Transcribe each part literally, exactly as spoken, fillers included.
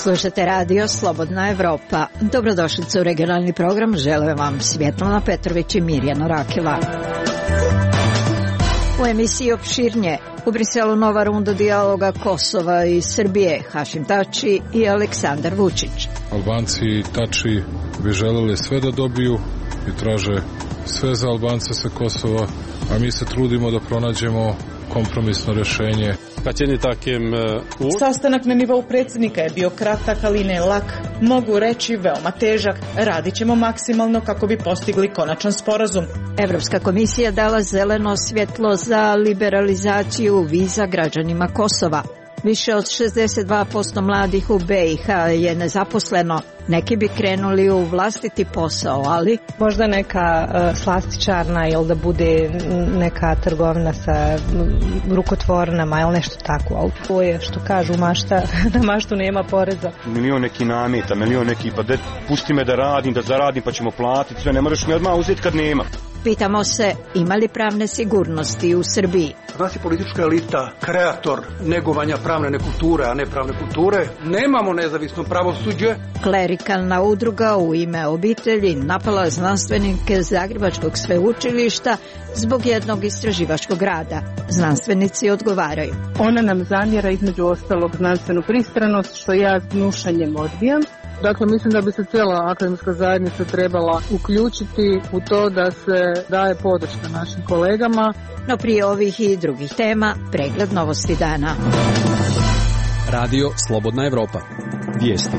Slušate radio Slobodna Evropa. Dobrodošlice u regionalni program. Žele vam Svjetlana Petrović i Mirjana Rakela. U emisiji opširnije. U Briselu nova runda dijaloga Kosova i Srbije. Hašim Tači i Aleksandar Vučić. Albanci i Tači bi želeli sve da dobiju i traže sve za Albance sa Kosova, a mi se trudimo da pronađemo kompromisno rješenje. Sastanak na nivou predsjednika je bio kratak, ali ne lak. Mogu reći veoma težak. Radit ćemo maksimalno kako bi postigli konačan sporazum. Evropska komisija dala zeleno svjetlo za liberalizaciju viza građanima Kosova. Više od šezdeset dva posto mladih u B i H je nezaposleno. Neki bi krenuli u vlastiti posao, ali... Možda neka uh, slastičarna ili da bude neka trgovina sa rukotvornama ili nešto tako. Ali to je što kažu mašta, da maštu nema poreza. Milion neki nameta, milion neki, pa de, pusti me da radim, da zaradim pa ćemo platiti, sve ne moraš mi odmah uzeti kad nema. Pitamo se, ima li pravne sigurnosti u Srbiji? Nas je politička elita kreator negovanja pravne nekulture, a ne pravne kulture. Nemamo nezavisno pravosuđe. Klerikalna udruga u ime obitelji napala znanstvenike Zagrebačkog sveučilišta zbog jednog istraživačkog rada. Znanstvenici odgovaraju. Ona nam zamjera između ostalog znanstvenu pristranost, što ja s gnušanjem odbijam. Dakle, mislim da bi se cijela akademska zajednica trebala uključiti u to da se daje podrška našim kolegama. No prije ovih i drugih tema, pregled novosti dana. Radio Slobodna Evropa. Vijesti.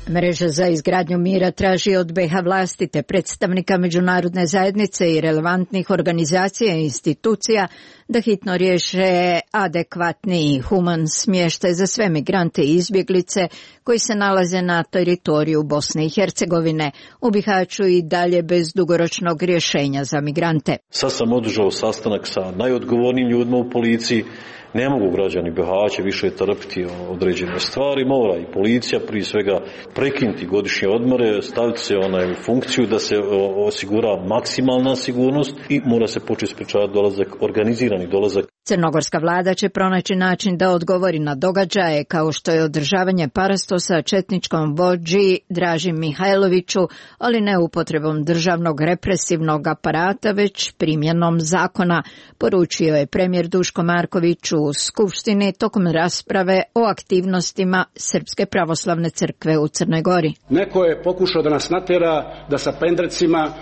Mreža za izgradnju mira traži od B iH vlasti te predstavnika međunarodne zajednice i relevantnih organizacija i institucija da hitno riješe adekvatni i human smještaj za sve migrante i izbjeglice koji se nalaze na teritoriju Bosne i Hercegovine. U Bihaću i dalje bez dugoročnog rješenja za migrante. Sad sam održao sastanak sa najodgovornijim ljudima u policiji. Ne mogu građani Bihaća više trpiti određene stvari, mora i policija prije svega prekinuti godišnje odmore, staviti se onaj u funkciju da se osigura maksimalna sigurnost i mora se početi sprečavati dolazak, organizirani dolazak. Crnogorska vlada će pronaći način da odgovori na događaje kao što je održavanje parastosa četničkom vođi Draži Mihajloviću, ali ne upotrebom državnog represivnog aparata, već primjenom zakona, poručio je premijer Duško Marković u Skupštini tokom rasprave o aktivnostima Srpske pravoslavne crkve u Crnoj Gori. Neko je pokušao da nas natjera da sa pendrecima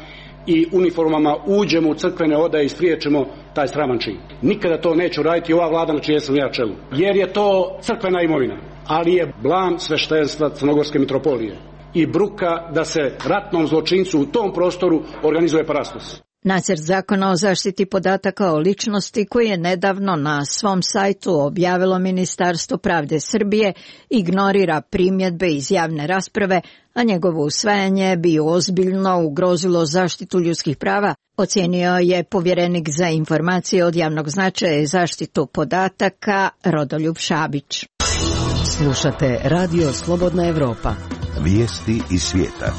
i uniformama uđemo u crkvene odaje i spriječemo taj sraman čin. Nikada to neću raditi ova vlada na čijem sam ja čelu. Jer je to crkvena imovina, ali je blam sveštenstva Crnogorske mitropolije i bruka da se ratnom zločincu u tom prostoru organizuje parastos. Nacrt zakona o zaštiti podataka o ličnosti koji je nedavno na svom sajtu objavilo Ministarstvo pravde Srbije ignorira primjedbe iz javne rasprave, a njegovo usvajanje bi ozbiljno ugrozilo zaštitu ljudskih prava, ocijenio je povjerenik za informacije od javnog značaja i zaštitu podataka Rodoljub Šabić. Slušate radio Slobodna Evropa. Vijesti iz svijeta.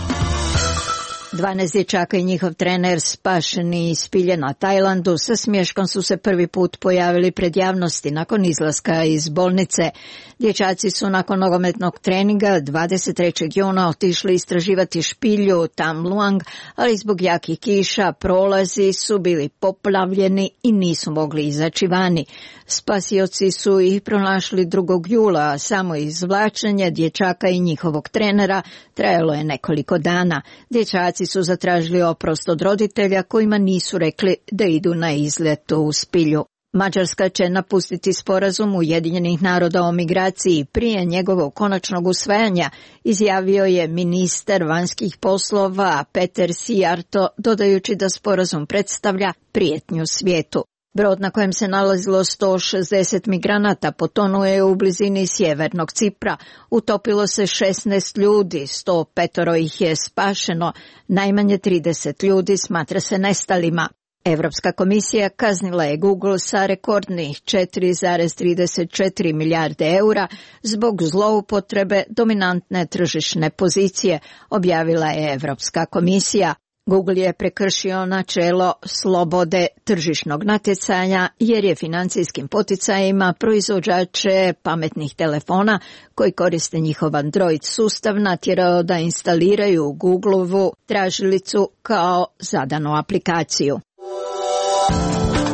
dvanaest dječaka i njihov trener spašeni iz spilje na Tajlandu sa smješkom su se prvi put pojavili pred javnosti nakon izlaska iz bolnice. Dječaci su nakon nogometnog treninga dvadeset trećeg juna otišli istraživati špilju Tam Luang, ali zbog jakih kiša prolazi su bili poplavljeni i nisu mogli izaći vani. Spasioci su ih pronašli drugog jula, a samo izvlačenje dječaka i njihovog trenera trajalo je nekoliko dana. Dječaci su zatražili oprost od roditelja kojima nisu rekli da idu na izlet u spilju. Mađarska će napustiti sporazum Ujedinjenih naroda o migraciji prije njegovog konačnog usvajanja, izjavio je ministar vanjskih poslova Peter Sijarto, dodajući da sporazum predstavlja prijetnju svijetu. Brod na kojem se nalazilo sto šezdeset migranata potonuo je u blizini sjevernog Cipra. Utopilo se šesnaest ljudi, sto pet ih je spašeno, najmanje trideset ljudi smatra se nestalima. Europska komisija kaznila je Google sa rekordnih četiri zarez trideset četiri milijarde eura zbog zloupotrebe dominantne tržišne pozicije, objavila je Europska komisija. Google je prekršio načelo slobode tržišnog natjecanja jer je financijskim poticajima proizvođače pametnih telefona koji koriste njihov Android sustav natjerao da instaliraju Googleovu tražilicu kao zadanu aplikaciju.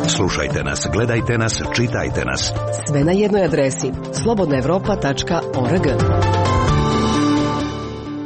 Slušajte nas, gledajte nas, čitajte nas. Sve na jednoj adresi slobodna evropa tačka org.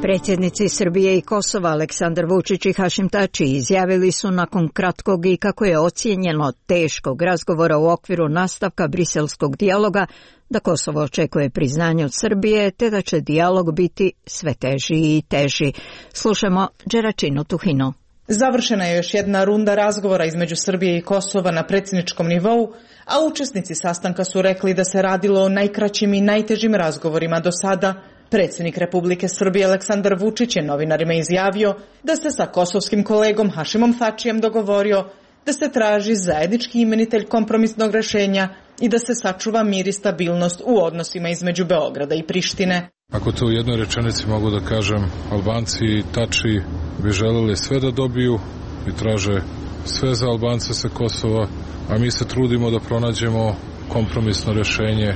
Predsjednici Srbije i Kosova Aleksandar Vučić i Hašim Tači izjavili su nakon kratkog i kako je ocijenjeno teškog razgovora u okviru nastavka briselskog dijaloga da Kosovo očekuje priznanje od Srbije te da će dijalog biti sve teži i teži. Slušamo Đeračinu Tuhinu. Završena je još jedna runda razgovora između Srbije i Kosova na predsjedničkom nivou, a učesnici sastanka su rekli da se radilo o najkraćim i najtežim razgovorima do sada. Predsjednik Republike Srbije Aleksandar Vučić je novinarima izjavio da se sa kosovskim kolegom Hašimom Tačijem dogovorio da se traži zajednički imenitelj kompromisnog rješenja i da se sačuva mir i stabilnost u odnosima između Beograda i Prištine. Ako to u jednoj rečenici mogu da kažem, Albanci i Tači bi želeli sve da dobiju i traže sve za Albance sa Kosova, a mi se trudimo da pronađemo kompromisno rješenje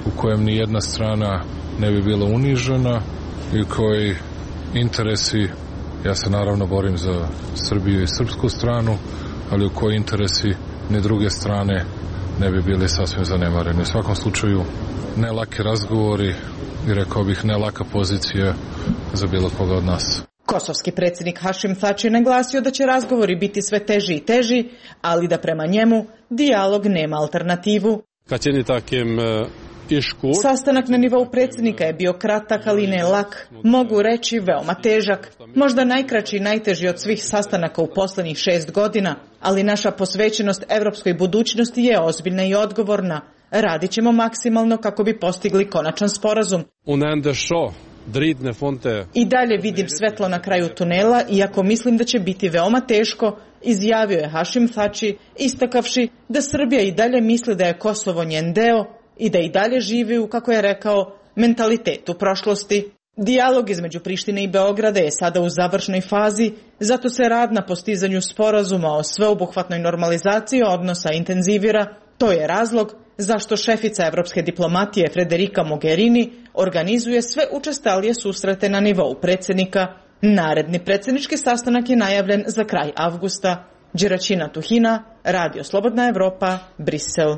u kojem ni jedna strana ne bi bila unižena i koji interesi, ja se naravno borim za Srbiju i srpsku stranu, ali u koji interesi ni druge strane ne bi bili sasvim zanemareni. U svakom slučaju ne laki razgovori i rekao bih ne laka pozicija za bilo koga od nas. Kosovski predsjednik Hašim Tači je naglasio da će razgovori biti sve teži i teži, ali da prema njemu dijalog nema alternativu. Sastanak na nivou predsjednika je bio kratak, ali ne lak, mogu reći veoma težak, možda najkraći i najteži od svih sastanaka u posljednjih šest godina, ali naša posvećenost evropskoj budućnosti je ozbiljna i odgovorna. Radit ćemo maksimalno kako bi postigli konačan sporazum. I dalje vidim svetlo na kraju tunela, iako mislim da će biti veoma teško, izjavio je Hašim Tači, istakavši da Srbija i dalje misli da je Kosovo njen deo i da i dalje živi u, kako je rekao, mentalitetu prošlosti. Dijalog između Prištine i Beograda je sada u završnoj fazi, zato se rad na postizanju sporazuma o sveobuhvatnoj normalizaciji odnosa intenzivira. To je razlog zašto šefica evropske diplomatije Federica Mogherini organizuje sve učestalije susrete na nivou predsjednika. Naredni predsjednički sastanak je najavljen za kraj avgusta. Đeračina Tuhina, Radio Slobodna Evropa, Brisel.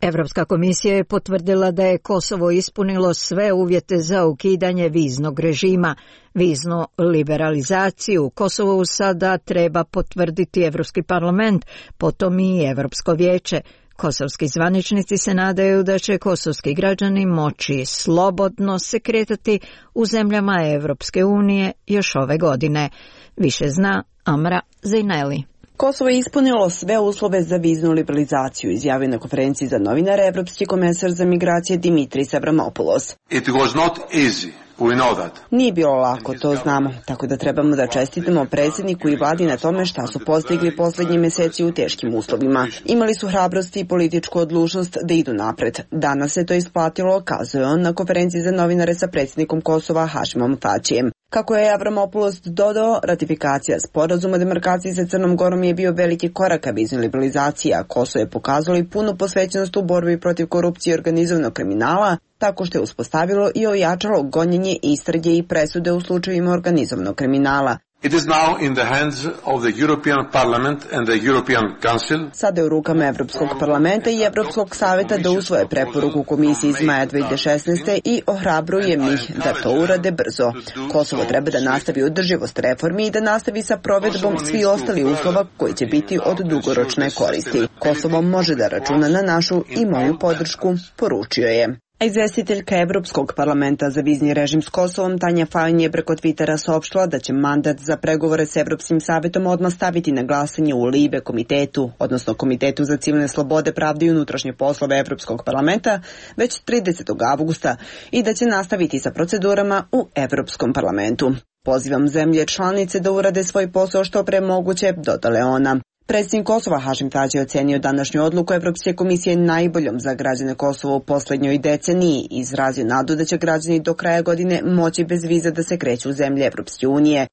Evropska komisija je potvrdila da je Kosovo ispunilo sve uvjete za ukidanje viznog režima. Viznu liberalizaciju Kosovu sada treba potvrditi Evropski parlament, potom i Evropsko vijeće. Kosovski zvaničnici se nadaju da će kosovski građani moći slobodno se kretati u zemljama Evropske unije još ove godine. Više zna Amra Zejneli. Kosovo je ispunilo sve uslove za viznu liberalizaciju, izjavio na konferenciji za novinare evropski komesar za migracije Dimitris Avramopoulos. It was not easy. We know that. Nije bilo lako, to znamo, tako da trebamo da čestitamo predsjedniku i vladi na tome šta su postigli posljednji mjeseci u teškim uslovima. Imali su hrabrosti i političku odlučnost da idu napred. Danas se to isplatilo, kazuje on na konferenciji za novinare sa predsjednikom Kosova Hašimom Tačijem. Kako je Avramopoulos dodao, ratifikacija sporazuma o demarkaciji sa Crnom Gorom je bio veliki korak ka viznoj liberalizaciji, a Kosovo je pokazalo i punu posvećenost u borbi protiv korupcije i organizovanog kriminala, tako što je uspostavilo i ojačalo gonjenje, istrage i presude u slučajevima organizovanog kriminala. It is now in the hands of the European Parliament and the European Council. Sada je u rukama Evropskog parlamenta i Evropskog savjeta da usvoje preporuku komisije iz maja dvije hiljade šesnaeste. i ohrabrujem ih da to urade brzo. Kosovo treba da nastavi održivost reformi i da nastavi sa provedbom svih ostalih uslova koji će biti od dugoročne koristi. Kosovo može da računa na našu i moju podršku, poručio je. A izvestiteljka Evropskog parlamenta za vizni režim s Kosovom Tanja Fajon je preko Twittera saopštila da će mandat za pregovore s Evropskim savjetom odmah staviti na glasanje u Libe komitetu, odnosno Komitetu za civilne slobode, pravde i unutrašnje poslove Evropskog parlamenta već tridesetog avgusta i da će nastaviti sa procedurama u Evropskom parlamentu. Pozivam zemlje članice da urade svoj posao što pre moguće, dodala je ona. Predsjednik Kosova Hašim Tači je ocenio današnju odluku Evropske komisije najboljom za građane Kosova u posljednjoj deceniji i izrazio nadu da će građani do kraja godine moći bez viza da se kreću u zemlje Evropske unije.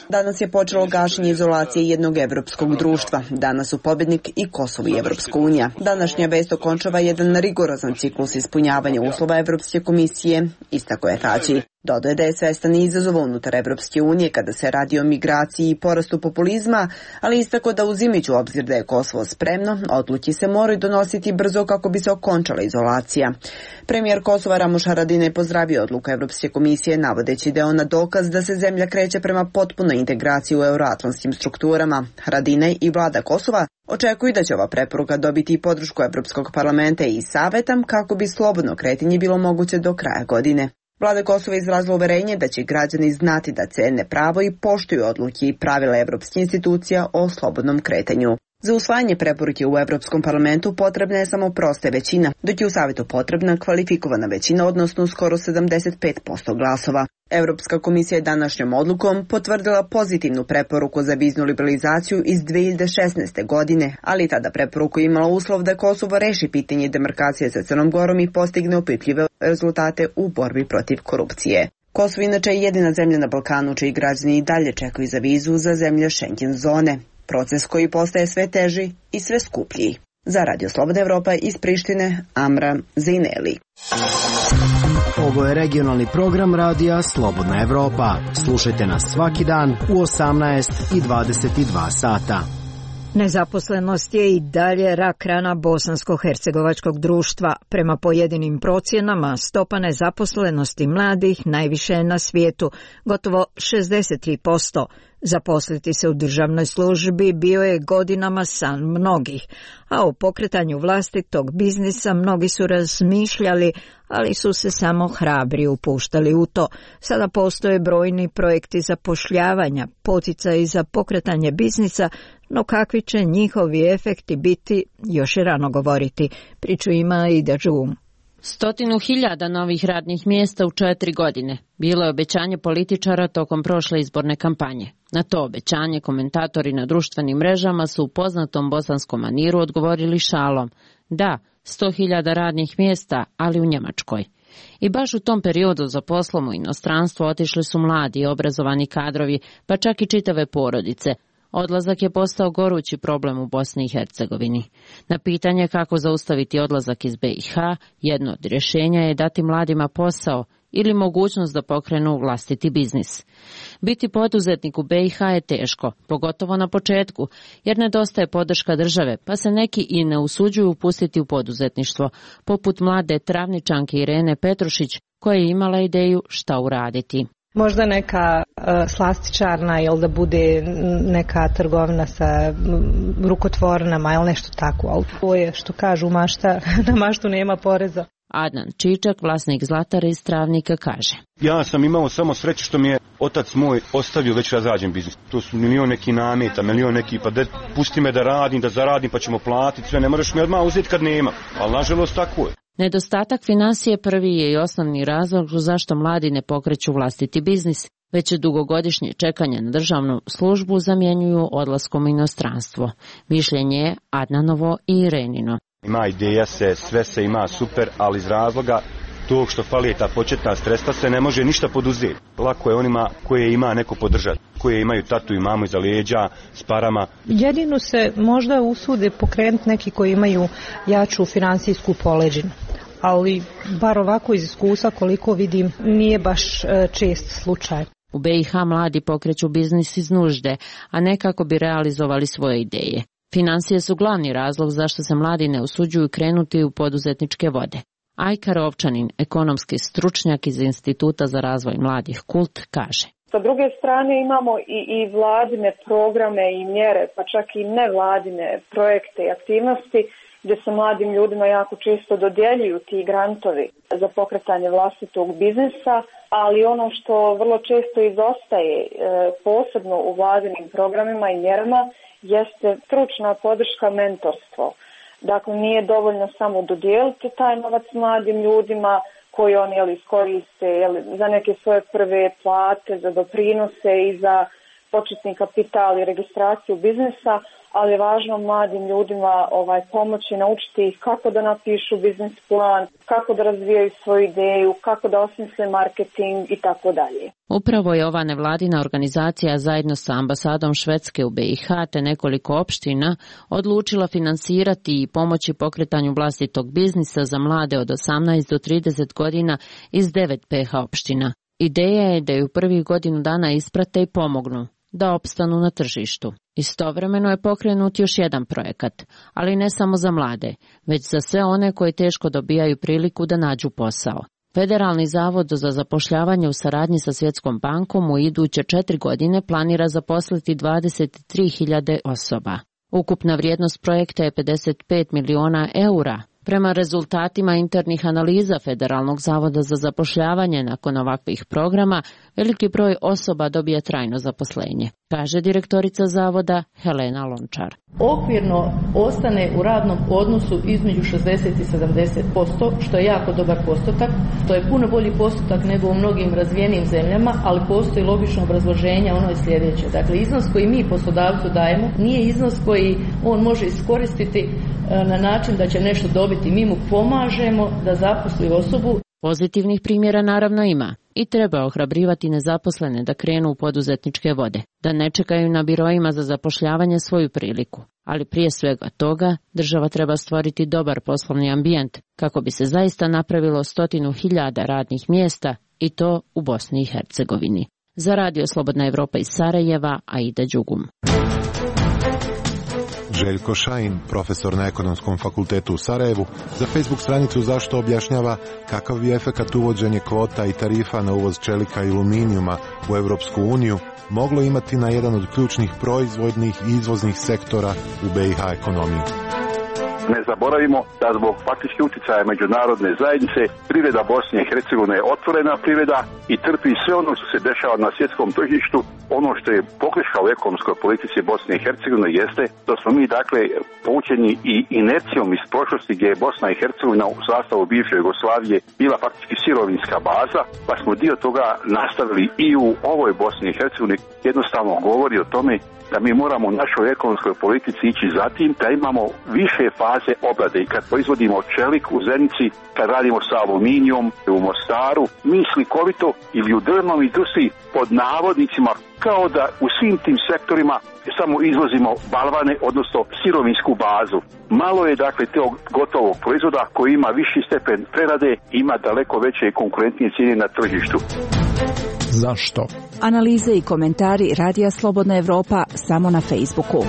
Danas je počelo gašenje izolacije jednog evropskog društva. Danas su pobjednik i Kosovo i Evropska unija. Današnja vest okončava jedan rigorozan ciklus ispunjavanja uslova Evropske komisije, istako je Tači. Dodaje da je svestan izazova unutar Evropske unije kada se radi o migraciji i porastu populizma, ali istako da uzimajući u obzir da je Kosovo spremno, odluke se moraju donositi brzo kako bi se okončala izolacija. Premijer Kosova Ramuš Haradinaj je pozdravio odluku Evropske komisije navodeći da je ona dokaz da se zemlja kreće prema potpunoj integraciji u euroatlantskim strukturama. Haradinaj i vlada Kosova očekuju da će ova preporuka dobiti i podršku Evropskog parlamenta i saveta kako bi slobodno kretanje bilo moguće do kraja godine. Vlada Kosova izrazila uverenje da će građani znati da cene pravo i poštuju odluke i pravila evropskih institucija o slobodnom kretanju. Za usvajanje preporuke u Evropskom parlamentu potrebna je samo prosta većina, dok je u Savetu potrebna kvalifikovana većina, odnosno skoro sedamdeset pet posto glasova. Evropska komisija je današnjom odlukom potvrdila pozitivnu preporuku za viznu liberalizaciju iz dve hiljade šesnaeste. godine, ali tada preporuku imala uslov da Kosovo reši pitanje demarkacije sa Crnom Gorom i postigne opipljive rezultate u borbi protiv korupcije. Kosovo inače je jedina zemlja na Balkanu čiji građani i dalje čekaju za vizu za zemlje Schengen zone. Proces koji postaje sve teži i sve skuplji. Za Radio Slobodna Evropa iz Prištine, Amra Zejneli. Ovo je regionalni program Radija Slobodna Evropa. Slušajte nas svaki dan u osamnaest i dvadeset dva sata. Nezaposlenost je i dalje rak rana bosansko-hercegovačkog društva. Prema pojedinim procjenama, stopa nezaposlenosti mladih najviše je na svijetu, gotovo šezdeset tri posto. Zaposliti se u državnoj službi bio je godinama san mnogih, a o pokretanju vlastitog biznisa mnogi su razmišljali, ali su se samo hrabri upuštali u to. Sada postoje brojni projekti zapošljavanja, poticaji za pokretanje biznisa, no kakvi će njihovi efekti biti, još je rano govoriti. Priču ima i Dađum. Stotinu hiljada novih radnih mjesta u četiri godine. Bilo je obećanje političara tokom prošle izborne kampanje. Na to obećanje komentatori na društvenim mrežama su u poznatom bosanskom maniru odgovorili šalom. Da, sto hiljada radnih mjesta, ali u Njemačkoj. I baš u tom periodu za poslom u inostranstvo otišli su mladi i obrazovani kadrovi, pa čak i čitave porodice. Odlazak je postao gorući problem u Bosni i Hercegovini. Na pitanje kako zaustaviti odlazak iz B i H, jedno od rješenja je dati mladima posao ili mogućnost da pokrenu vlastiti biznis. Biti poduzetnik u B i H je teško, pogotovo na početku, jer nedostaje podrška države, pa se neki i ne usuđuju upustiti u poduzetništvo, poput mlade travničanke Irene Petrušić, koja je imala ideju šta uraditi. Možda neka uh, slastičarna ili da bude neka trgovina sa m, rukotvornama ili nešto tako. Ali ovo je što kažu mašta, na maštu nema poreza. Adnan Čičak, vlasnik Zlatara iz Travnika, kaže. Ja sam imao samo sreće što mi je otac moj ostavio već razrađen biznis. To su milion neki nameta, milion neki, pa de, pusti me da radim, da zaradim pa ćemo platiti sve. Ne moraš mi odmah uzeti kad nema, ali nažalost tako je. Nedostatak financije prvi je i osnovni razlog zašto mladi ne pokreću vlastiti biznis, već dugogodišnje čekanje na državnu službu zamjenjuju odlaskom u inostranstvo. Mišljenje je Adnanovo i Irenino. Ima ideja se, sve se ima super, ali iz razloga tog što fali ta početna sredstva se ne može ništa poduzeti. Lako je onima koje ima neko podržati, koje imaju tatu i mamu iza leđa s parama. Jedino se možda usude pokrenuti neki koji imaju jaču finansijsku poleđinu. Ali bar ovako iz iskustva koliko vidim nije baš čest slučaj. U B i H mladi pokreću biznis iz nužde, a ne kako bi realizovali svoje ideje. Financije su glavni razlog zašto se mladi ne usuđuju krenuti u poduzetničke vode. Ajka Rovčanin, ekonomski stručnjak iz Instituta za razvoj mladih Kult, kaže. Sa druge strane imamo i, i vladine programe i mjere, pa čak i nevladine projekte i aktivnosti gdje se mladim ljudima jako često dodjeljuju ti grantovi za pokretanje vlastitog biznisa, ali ono što vrlo često izostaje, e, posebno u vladinim programima i mjerama, jeste stručna podrška, mentorstvo. Dakle, nije dovoljno samo dodijeliti taj novac mladim ljudima koji oni jeli, iskoriste jeli, za neke svoje prve plate, za doprinose i za početni kapital i registraciju biznisa, ali je važno mladim ljudima ovaj, pomoći, naučiti ih kako da napišu biznis plan, kako da razvijaju svoju ideju, kako da osmisle marketing i tako dalje. Upravo je ova nevladina organizacija zajedno sa ambasadom Švedske u B i H te nekoliko opština odlučila finansirati i pomoći pokretanju vlastitog biznisa za mlade od osamnaest do trideset godina iz devet P H opština. Ideja je da ju prvih godinu dana isprate i pomognu da opstanu na tržištu. Istovremeno je pokrenut još jedan projekat, ali ne samo za mlade, već za sve one koji teško dobijaju priliku da nađu posao. Federalni zavod za zapošljavanje u saradnji sa Svjetskom bankom u iduće četiri godine planira zaposliti dvadeset tri hiljade osoba. Ukupna vrijednost projekta je pedeset pet miliona eura. Prema rezultatima internih analiza Federalnog zavoda za zapošljavanje, nakon ovakvih programa, veliki broj osoba dobije trajno zaposlenje, kaže direktorica zavoda Helena Lončar. Okvirno ostane u radnom odnosu između šezdeset i sedamdeset posto, što je jako dobar postotak. To je puno bolji postotak nego u mnogim razvijenim zemljama, ali postoji logično obrazloženje, ono je sljedeće. Dakle, iznos koji mi poslodavcu dajemo nije iznos koji on može iskoristiti na način da će nešto dobiti. Mi mu pomažemo da zaposli osobu. Pozitivnih primjera naravno ima i treba ohrabrivati nezaposlene da krenu u poduzetničke vode, da ne čekaju na biroima za zapošljavanje svoju priliku. Ali prije svega toga država treba stvoriti dobar poslovni ambijent kako bi se zaista napravilo stotinu hiljada radnih mjesta i to u Bosni i Hercegovini. Za Radio Slobodna Evropa iz Sarajeva, Aida Đugum. Željko Šajin, profesor na Ekonomskom fakultetu u Sarajevu, za Facebook stranicu Zašto objašnjava kakav bi efekat uvođenje kvota i tarifa na uvoz čelika i aluminijuma u Europsku uniju moglo imati na jedan od ključnih proizvodnih i izvoznih sektora u B i H ekonomiji. Ne zaboravimo da zbog faktički utjecaja međunarodne zajednice privreda Bosne i Hercegovine je otvorena privreda i trpi sve ono što se dešava na svjetskom tržištu. Ono što je pogreška u ekonomskoj politici Bosne i Hercegovine jeste da smo mi dakle poučeni i inercijom iz prošlosti gdje je Bosna i Hercegovina u sastavu bivše Jugoslavije bila faktički sirovinska baza, pa smo dio toga nastavili i u ovoj Bosni i Hercegovini. Jednostavno govori o tome da mi moramo u našoj ekonomskoj politici ići zatim da imamo više faze obrade i kad proizvodimo čelik u Zenici, kad radimo sa aluminijom u Mostaru, mi slikovito ili u drvnom industriji pod navodnicima kao da u svim tim sektorima samo izvozimo balvane, odnosno sirovinsku bazu. Malo je dakle tog gotovog proizvoda koji ima viši stepen prerade i ima daleko veće i konkurentnije cijene na tržištu. Zašto? Analize i komentari Radija Slobodna Evropa samo na Facebooku.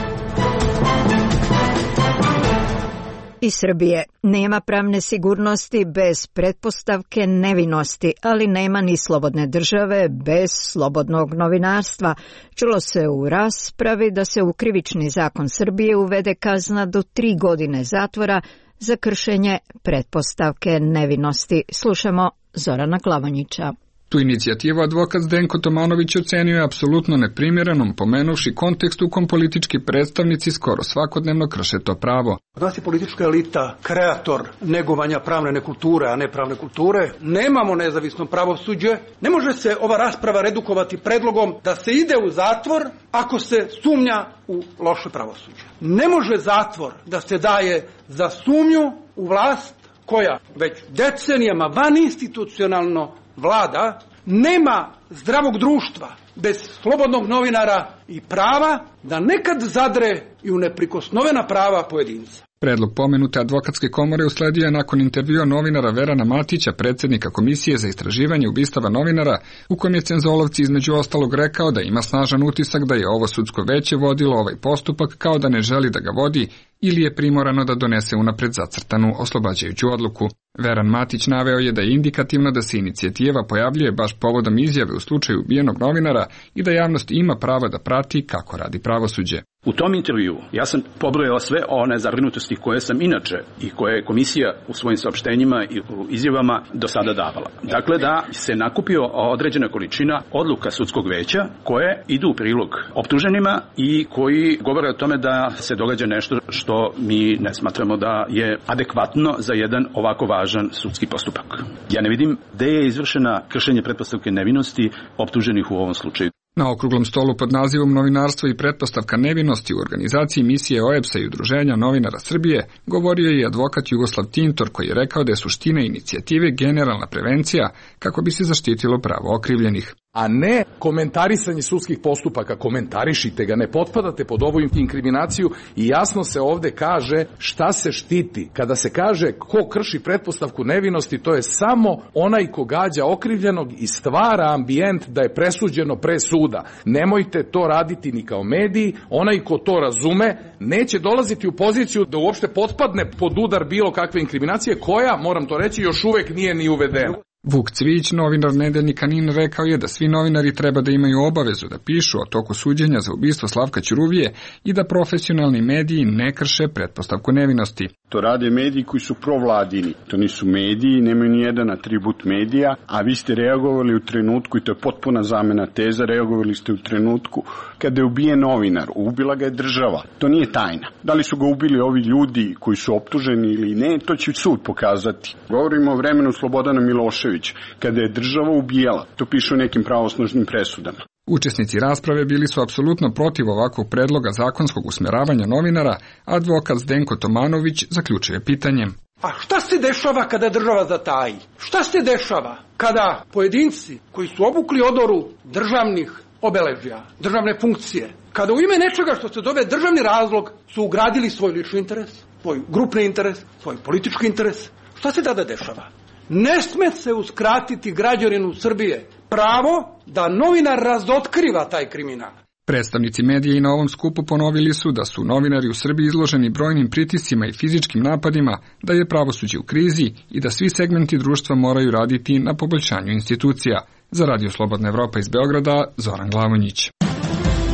Iz Srbije nema pravne sigurnosti bez pretpostavke nevinosti, ali nema ni slobodne države bez slobodnog novinarstva. Čulo se u raspravi da se u krivični zakon Srbije uvede kazna do tri godine zatvora za kršenje pretpostavke nevinosti. Slušamo Zorana Klavanjića. Tu inicijativu advokat Zdenko Tomanović ocenio je apsolutno neprimjerenom, pomenuvši kontekst u kom politički predstavnici skoro svakodnevno krše to pravo. Od nas je politička elita kreator negovanja pravne nekulture, a ne pravne kulture. Nemamo nezavisno pravosuđe. Ne može se ova rasprava redukovati predlogom da se ide u zatvor ako se sumnja u loše pravosuđe. Ne može zatvor da se daje za sumnju u vlast koja već decenijama vaninstitucionalno vlada. Nema zdravog društva bez slobodnog novinara i prava da nekad zadre i u neprikosnovena prava pojedinca. Predlog pomenute advokatske komore usledio je nakon intervjua novinara Verana Matića, predsjednika Komisije za istraživanje ubistava novinara, u kojem je Cenzolovci između ostalog rekao da ima snažan utisak da je ovo sudsko veće vodilo ovaj postupak kao da ne želi da ga vodi ili je primorano da donese unapred zacrtanu oslobađajuću odluku. Veran Matić naveo je da je indikativno da se inicijativa pojavljuje baš povodom izjave u slučaju ubijenog novinara i da javnost ima pravo da prati kako radi pravosuđe. U tom intervju ja sam pobrojao sve one zabrinutosti koje sam inače i koje je komisija u svojim saopštenjima i u izjavama do sada davala. Dakle, da se nakupio određena količina odluka sudskog veća koje idu u prilog optuženima i koji govore o tome da se događa nešto što mi ne smatramo da je adekvatno za jedan ovako važan sudski postupak. Ja ne vidim gde je izvršena kršenje pretpostavke nevinosti optuženih u ovom slučaju. Na okruglom stolu pod nazivom Novinarstvo i pretpostavka nevinosti u organizaciji misije O E B S A i Udruženja novinara Srbije govorio je i advokat Jugoslav Tintor, koji je rekao da je suština inicijative generalna prevencija kako bi se zaštitilo pravo okrivljenih. A ne komentarisanje sudskih postupaka. Komentarišite ga, ne potpadate pod ovu inkriminaciju i jasno se ovde kaže šta se štiti. Kada se kaže ko krši pretpostavku nevinosti, to je samo onaj ko gađa okrivljenog i stvara ambijent da je presuđeno pre suda. Nemojte to raditi ni kao mediji, onaj ko to razume neće dolaziti u poziciju da uopšte potpadne pod udar bilo kakve inkriminacije koja, moram to reći, još uvek nije ni uvedena. Vuk Cvijić, novinar nedeljnika N I N, rekao je da svi novinari treba da imaju obavezu da pišu o toku suđenja za ubistvo Slavka Ćuruvije i da profesionalni mediji ne krše pretpostavku nevinosti. To rade mediji koji su provladini. To nisu mediji, nemaju ni jedan atribut medija, a vi ste reagovali u trenutku, i to je potpuna zamena teza, reagovali ste u trenutku kada je ubijen novinar. Ubila ga je država. To nije tajna. Da li su ga ubili ovi ljudi koji su optuženi ili ne, to će sud pokazati. Govorimo o vremenu Slobodana Miloševića, kada je država ubijala. To piše u nekim pravosnažnim presudama. Učesnici rasprave bili su apsolutno protiv ovakvog predloga zakonskog usmeravanja novinara, a advokat Zdenko Tomanović zaključuje pitanjem. A šta se dešava kada država zataji? Šta se dešava kada pojedinci koji su obukli odoru državnih obeležja, državne funkcije, kada u ime nečega što se zove državni razlog su ugradili svoj lični interes, svoj grupni interes, svoj politički interes, šta se tada dešava? Ne sme se uskratiti građaninu Srbije pravo da novinar razotkriva taj kriminal. Predstavnici medija i na ovom skupu ponovili su da su novinari u Srbiji izloženi brojnim pritiscima i fizičkim napadima, da je pravosuđe u krizi i da svi segmenti društva moraju raditi na poboljšanju institucija. Za Radio Slobodna Evropa iz Beograda, Zoran Glavonjić.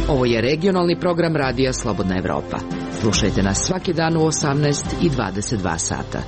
Ovo je regionalni program Radija Slobodna Evropa. Slušajte nas svaki dan u osamnaest i dvadeset dva sata.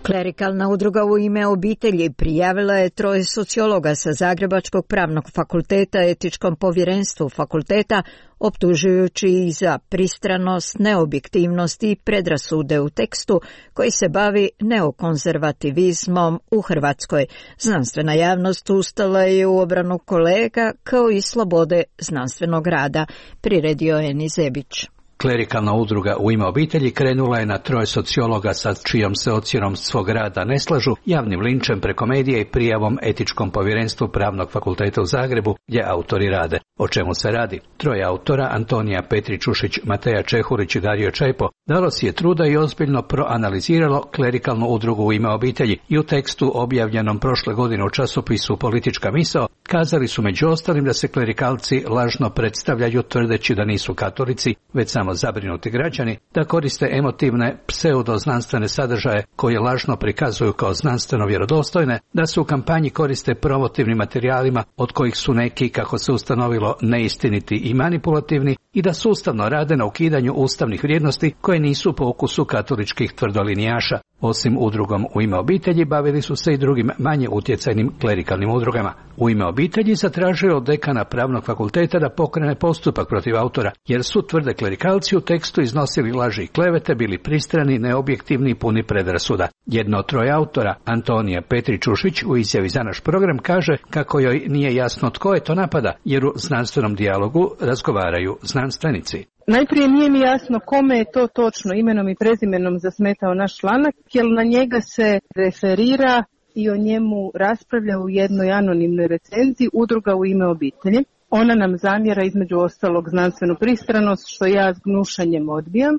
Klerikalna udruga U ime obitelji prijavila je troje sociologa sa Zagrebačkog pravnog fakulteta etičkom povjerenstvu fakulteta, optužujući ih za pristranost, neobjektivnost i predrasude u tekstu koji se bavi neokonzervativizmom u Hrvatskoj. Znanstvena javnost ustala je u obranu kolega kao i slobode znanstvenog rada, priredio je Eni Zebić. Klerikalna udruga U ime obitelji krenula je na troje sociologa sa čijom se ocjenom svog rada ne slažu, javnim linčem preko medija i prijavom etičkom povjerenstvu Pravnog fakulteta u Zagrebu, gdje autori rade. O čemu se radi? Troje autora, Antonija Petričušić, Mateja Čehurić i Dario Čajpo, dalo si je truda i ozbiljno proanaliziralo klerikalnu udrugu U ime obitelji i u tekstu objavljenom prošle godine u časopisu Politička misao kazali su među ostalim da se klerikalci lažno predstavljaju tvrdeći da nisu katolici, već samo zabrinuti građani, da koriste emotivne pseudoznanstvene sadržaje koje lažno prikazuju kao znanstveno vjerodostojne, da se u kampanji koriste promotivnim materijalima od kojih su neki, kako se ustanovilo, neistiniti i manipulativni i da sustavno rade na ukidanju ustavnih vrijednosti koje nisu po ukusu katoličkih tvrdolinijaša. Osim udrugom U ime obitelji bavili su se i drugim manje utjecajnim klerikalnim udrugama. U ime obitelji zatražio od dekana Pravnog fakulteta da pokrene postupak protiv autora, jer su, tvrde klerikalci, u tekstu iznosili laži i klevete, bili pristrani, neobjektivni i puni predrasuda. Jedno od troje autora, Antonija Petričušić, u izjavi za naš program kaže kako joj nije jasno tko je to napada, jer u znanstvenom dijalogu razgovaraju znanstvenici. Najprije nije mi jasno kome je to točno imenom i prezimenom zasmetao naš članak, jer na njega se referira i o njemu raspravlja u jednoj anonimnoj recenziji udruga U ime obitelji. Ona nam zamjera između ostalog znanstvenu pristranost, što ja s gnušanjem odbijam,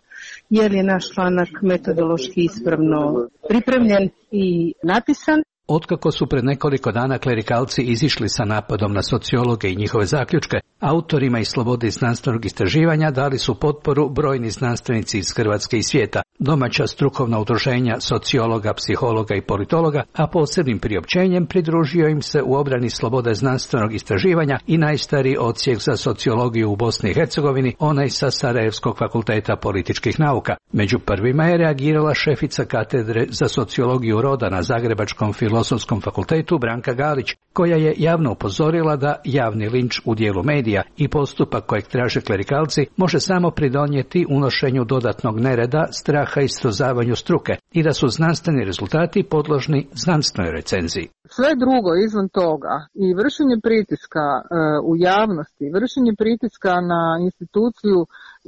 jer je naš članak metodološki ispravno pripremljen i napisan. Otkako su pred nekoliko dana klerikalci izišli sa napadom na sociologe i njihove zaključke, autorima i slobodi znanstvenog istraživanja dali su potporu brojni znanstvenici iz Hrvatske i svijeta, domaća strukovna udruženja sociologa, psihologa i politologa, a posebnim priopćenjem pridružio im se u obrani slobode znanstvenog istraživanja i najstariji odsjek za sociologiju u Bosni i Hercegovini, onaj sa Sarajevskog fakulteta političkih nauka. Među prvima je reagirala šefica katedre za sociologiju roda na Zagrebačkom filozofskom Filozofskom fakultetu Branka Galić, koja je javno upozorila da javni linč u dijelu medija i postupak kojeg traže klerikalci može samo pridonijeti unošenju dodatnog nereda, straha i srozavanju struke i da su znanstveni rezultati podložni znanstvenoj recenziji. Sve drugo izvan toga i vršenje pritiska e, u javnosti, vršenje pritiska na instituciju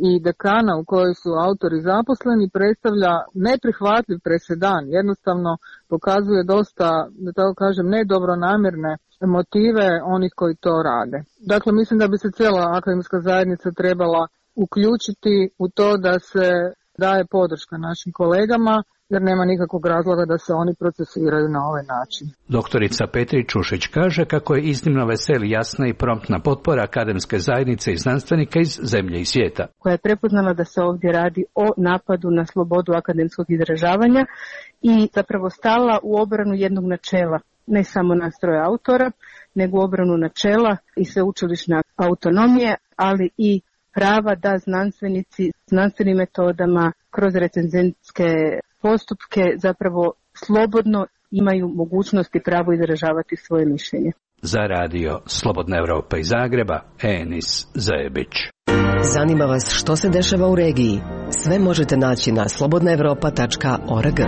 i dekana u kojoj su autori zaposleni predstavlja neprihvatljiv presedan. Jednostavno pokazuje dosta, da tako kažem, nedobronamjerne motive onih koji to rade. Dakle, mislim da bi se cijela akademska zajednica trebala uključiti u to da se daje podrška našim kolegama, jer nema nikakvog razloga da se oni procesiraju na ovaj način. Doktorica Petri Čušić kaže kako je iznimno veseli, jasna i promptna potpora akademske zajednice i znanstvenika iz zemlje i svijeta. Koja je prepoznala da se ovdje radi o napadu na slobodu akademskog izražavanja i zapravo stala u obranu jednog načela, ne samo nastroja autora, nego u obranu načela i sveučilišne autonomije, ali i prava da znanstvenici znanstvenim metodama kroz recenzentske postupke zapravo slobodno imaju mogućnost i pravo izražavati svoje mišljenje. Za radio Slobodna Evropa iz Zagreba, Enis Zajebić. Zanima vas što se dešava u regiji? Sve možete naći na slobodna evropa tačka org.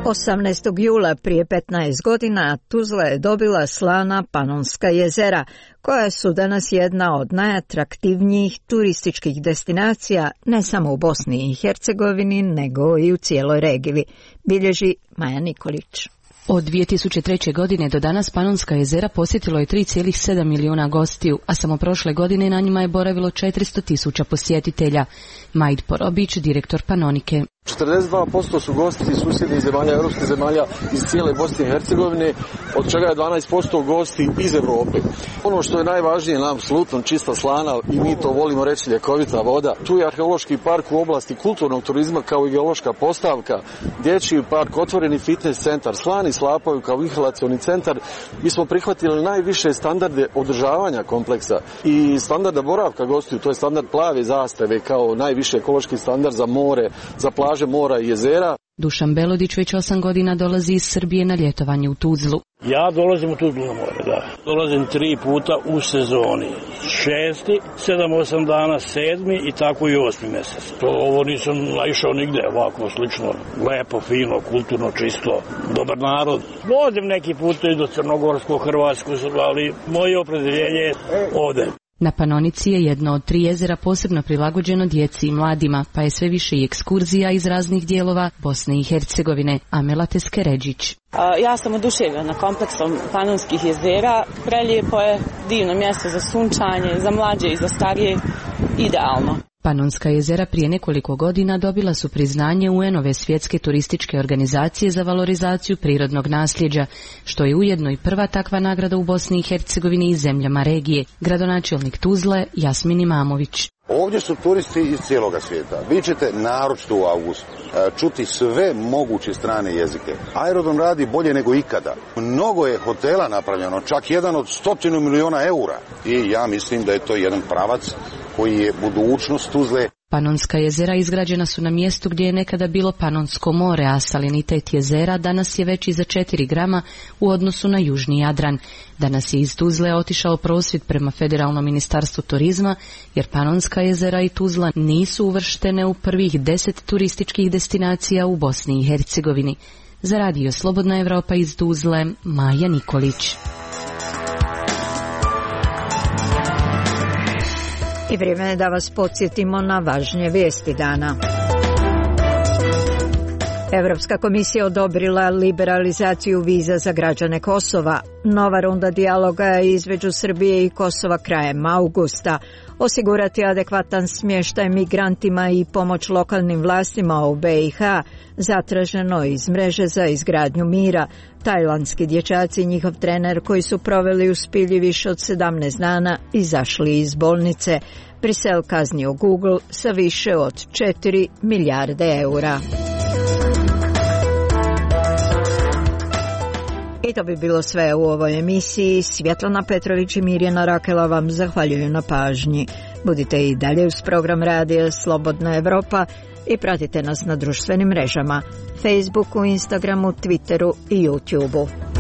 osamnaestog jula prije petnaest godina Tuzla je dobila slana Panonska jezera, koja su danas jedna od najatraktivnijih turističkih destinacija ne samo u Bosni i Hercegovini, nego i u cijeloj regiji, bilježi Maja Nikolić. Od dvije tisuće treće. godine do danas Panonska jezera posjetilo je tri zarez sedam milijuna gostiju, a samo prošle godine na njima je boravilo četiristo tisuća posjetitelja. Majd Porobić, direktor Panonike. četrdeset dva posto su gosti iz susjednih zemalja, europskih zemalja, iz cijele Bosne i Hercegovine, od čega je dvanaest posto gosti iz Europe. Ono što je najvažnije nam, apsolutno čista slana, i mi to volimo reći, ljekovita voda. Tu je arheološki park u oblasti kulturnog turizma kao i geološka postavka, dječji park, otvoreni fitness centar, slani slapovi kao inhalacioni centar. Mi smo prihvatili najviše standarde održavanja kompleksa i standarda boravka gostiju, to je standard plave zastave kao najviše ekološki standard za more, za plaže, mora i jezera. Dušan Belodić već osam godina dolazi iz Srbije na ljetovanje u Tuzlu. Ja dolazim u Tuzlu na more, da. Dolazim tri puta u sezoni. Šesti, sedam, osam dana, sedmi i tako i osmi mjesec. To ovo nisam naišao nigde, ovako slično. Lepo, fino, kulturno, čisto, dobar narod. Dolazim neki put i do Crnogorskog, Hrvatskog, ali moje opredeljenje je ovde. Na Panonici je jedno od tri jezera posebno prilagođeno djeci i mladima, pa je sve više i ekskurzija iz raznih dijelova Bosne i Hercegovine. Amela Teskeređić. Ja sam oduševljena kompleksom Panonskih jezera. Prelijepo je, divno mjesto za sunčanje, za mlađe i za starije, idealno. Panonska jezera prije nekoliko godina dobila su priznanje U N-ove svjetske turističke organizacije za valorizaciju prirodnog nasljeđa, što je ujedno i prva takva nagrada u Bosni i Hercegovini i zemljama regije. Gradonačelnik Tuzle Jasmin Imamović. Ovdje su turisti iz cijeloga svijeta. Vi ćete naročito u avgustu čuti sve moguće strane jezike. Aerodrom radi bolje nego ikada. Mnogo je hotela napravljeno, čak jedan od stotinu milijuna eura. I ja mislim da je to jedan pravac koji je budućnost Tuzle. Panonska jezera izgrađena su na mjestu gdje je nekada bilo Panonsko more, a salinitet jezera danas je veći za četiri grama u odnosu na južni Jadran. Danas je iz Tuzle otišao prosvjed prema Federalnom ministarstvu turizma, jer Panonska jezera i Tuzla nisu uvrštene u prvih deset turističkih destinacija u Bosni i Hercegovini. Za radio Slobodna Evropa iz Tuzle, Maja Nikolić. I vrijeme je da vas podsjetimo na važnije vijesti dana. Europska komisija odobrila liberalizaciju viza za građane Kosova. Nova runda dijaloga između Srbije i Kosova krajem augusta. Osigurati adekvatan smještaj migrantima i pomoć lokalnim vlastima u B i H, zatraženo iz mreže za izgradnju mira. Tajlandski dječaci i njihov trener koji su proveli u spilji više od sedamnaest dana izašli iz bolnice. Brisel kaznio Google sa više od četiri milijarde eura. I to bi bilo sve u ovoj emisiji. Svjetlana Petrović i Mirjana Rakela vam zahvaljuju na pažnji. Budite i dalje uz program radija Slobodna Evropa i pratite nas na društvenim mrežama Facebooku, Instagramu, Twitteru i YouTubeu.